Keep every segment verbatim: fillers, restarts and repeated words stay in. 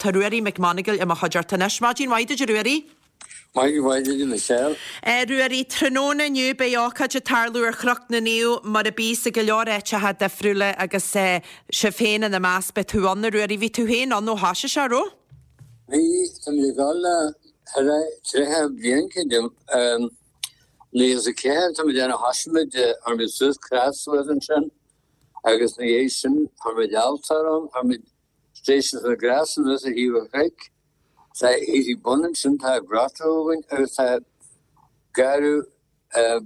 Tá Ruairí McMonagall i mo chuideachta anois. Maidin mhaith duit, a Ruairí. Maidin mhaith duit, Michelle. Ruairí, tráthnóna inniu beidh ócáid ag tarlú ar Chnoc na Naomh mar a bíos i go leor áiteacha difriúla agus sibh féin ina measc. Beidh tú ann, a Ruairí. Bhí tú féin ann ó thoisigh sé, raibh? Bhí, tá mé ag dul le tríocha bliain creidim. Naoi is a ceathair tá mé ag déanamh thoisigh muid, chuir muid suas crois suas ansin agus ina dhiaidh sin chuir muid altóir ann, chuir muid Stations of the Cross anuas ar thaobh an chnoic. Tá thíos ag bun ansin tá grotto againn agus tá garradh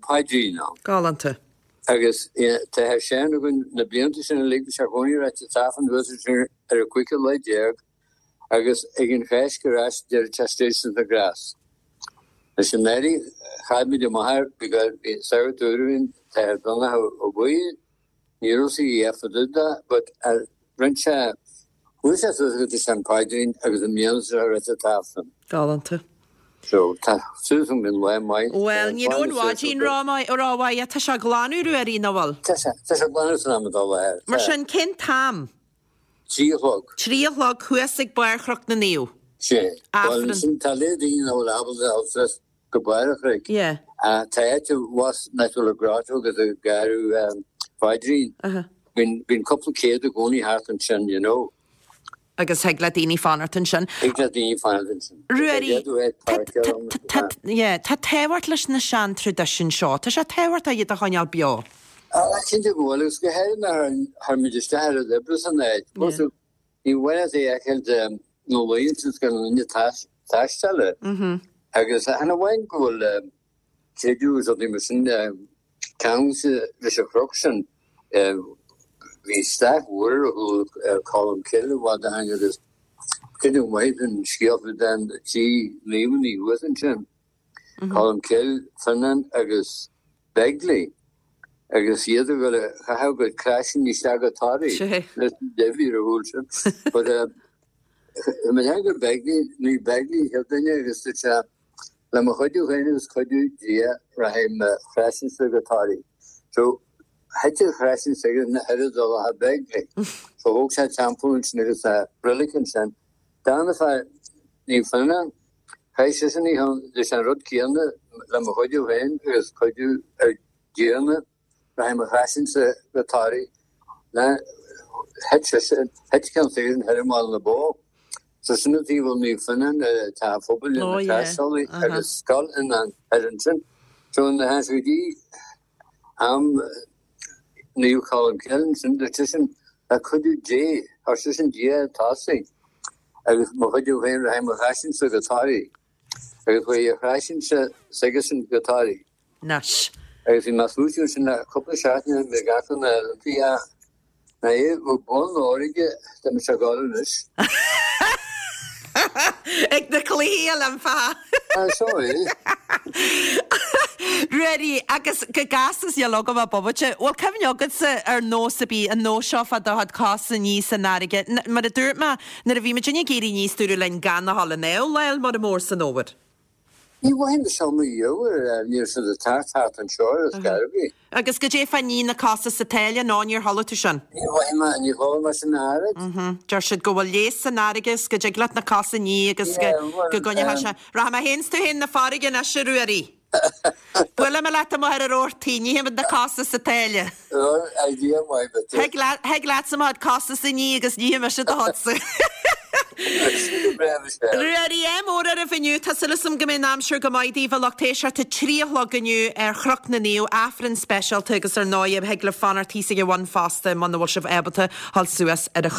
paidrín ann. Galánta. Agus tá sé sin againn na blianta sin uilig, bhí sé i gcónaí ráite an tAifreann anuas ansin ar an cúigiú lá déag agus ag an Cháisc ar ais deireadh tá Stations of the Cross. Leis an éirí chaith muid amach air because bhí sagart úr againn, T.Athair Donncha Ó Baoill, ní raibh sí fo dtaobh de but rinne sé, chuaigh sé suas go dtí an paidrín agus i mbliana seo raibh an tAifreann. Galánta. So tá súil agam go mbeidh lá maith. Bhuel, ní raibh an mhaidin rómhaith, tá sé ag glanadh Ruairí, nach bhfuil? Tá sé, tá sé ag glanadh san am atá i láthair. Mar sin, cén t-am? Trí a chlog. Trí a chlog thuas ag barr Chnoc na Naomh. Sea. Bhuel, Aifreann. ansin tá léir daoine nach bhfuil ábalta a dhul suas go barr an chnoic. Yeah. Tá áit abhus nach bhfuil an grotto agus an garradh phaidrín. Uh-huh. Bíonn, bíonn cúpla céad i gcónaí thart ansin, you know. Agus thig le daoine fanacht ansin. Thig le daoine fanacht ansin. Ruairí, Tá tá, tá, yeah, tá tábhacht leis na sean-traidisiúin seo. Tá sé tábhachtach iad a choinneáil beo. Ah, cinnte go bhfuil, agus go háirithe nuair a chuir muid isteach ar an oibre san áit. Yeah. Ní bhain é a fheiceáil de na laethanta is gan duine taisteal. Mhm. Agus chan amháin go bhfuil creideamh agus rudaí mar sin ceangailte leis an chnoc sin, bhí staic mhór ar chúl Colm Cille i bhfad ó shin agus creideamh maith an scéal faoi den trí naomhanna thuas ansin, Colm Cille, Fionnán agus Begley agus iad ag dul a chaitheamh a gcuid croiseanna isteach go Toraigh Sé. leis an deibhí ar a chúl sin. But mé féin gur Begley, ní Begley an chéad duine agus dúirt sé le mo chuidiú féin agus cuidiú Dia rachaidh mo chroiseann-sa go Toraigh. So thit an chroiseann s'aige na hoiread dul ach Begley. So thóg sé teampall ansin agus tá reilig ansin. Darna fear Naomh Fionnán, chaith seisean í leis an rud céanna le mo chuidiú féin agus cuidiú ar Dia rachaidh mo chroiseann-sa go Toraigh. Thit seisean, thit ceann s'aigesean thoir i mBaile na Bó. So sin an taobh a bhfuil Naomh Fionnán ar tá an phobal ina Oh yeah, taistealaí uh-huh. agus scoil in ann thoir ansin. So nuair a tháinig sé go dtí am Naomh Colm Cille ansin, dúirt seisean le cuidiú Dé, chuir seisean Dia ag tosaigh agus mo chuidiú féin rachaidh mo chroiseann-sa go Toraigh. Agus chuaigh a chroiseann-sa s'aigesean go Toraigh. Anois. Agus bhí mé ag smaoitiú ansin le cúpla seachtain mé ag amharc na Olympia na é bhfuil bonn óir aige tá mise ag dul anois. Ag na Cluichí Oilimpeacha. Ah, seo é. Ruairí, agus go gasta is níl agam ach bomaite. Bhfuil cuimhne agatsa ar nós a bhí an nós seo fá do chuid cos a ní san fharraige? Mar a dúirt mé, nuair a bhí muid ag éirí aníos dúradh linn gan a dhul in aon lá mar mór san fhómhar. Ní bhfaighim seo mo dhiabhal, níor siad ag teacht thart anseo ar scor ar bith. Agus goidé fá ní na cosa sa tsáile nó níor chuala tú sin? Ní bhfaighim é, ní chuala mé sin oiread. Deir siad go bhfuil leigheas san fharraige is go dtig leat na cosa a ní agus go Yeah, well, go gcoinneoidh um, sé. Rachaidh mé féin 's tú féin 'na farraige anois a Ruairí. Buailfidh mé leat amuigh ar an rabhartaí, nífimid na cosa sa tsáile. Well, idea maith, but Thig leat thig leatsa mo chuid cosa a ní agus nífidh mise do chuidsa. Ruairí ádh mór oraibh inniu Tá súil agam go mbeidh an aimsir go maith daoibh a lucht éisteachta trí a chlog inniu ar Chnoc na Naomh Aifreann speisialta agus ar ndóigh thig libh fanacht thíos ag an bhun fosta muna bhfuil sibh ábalta dul suas ar an chnoc.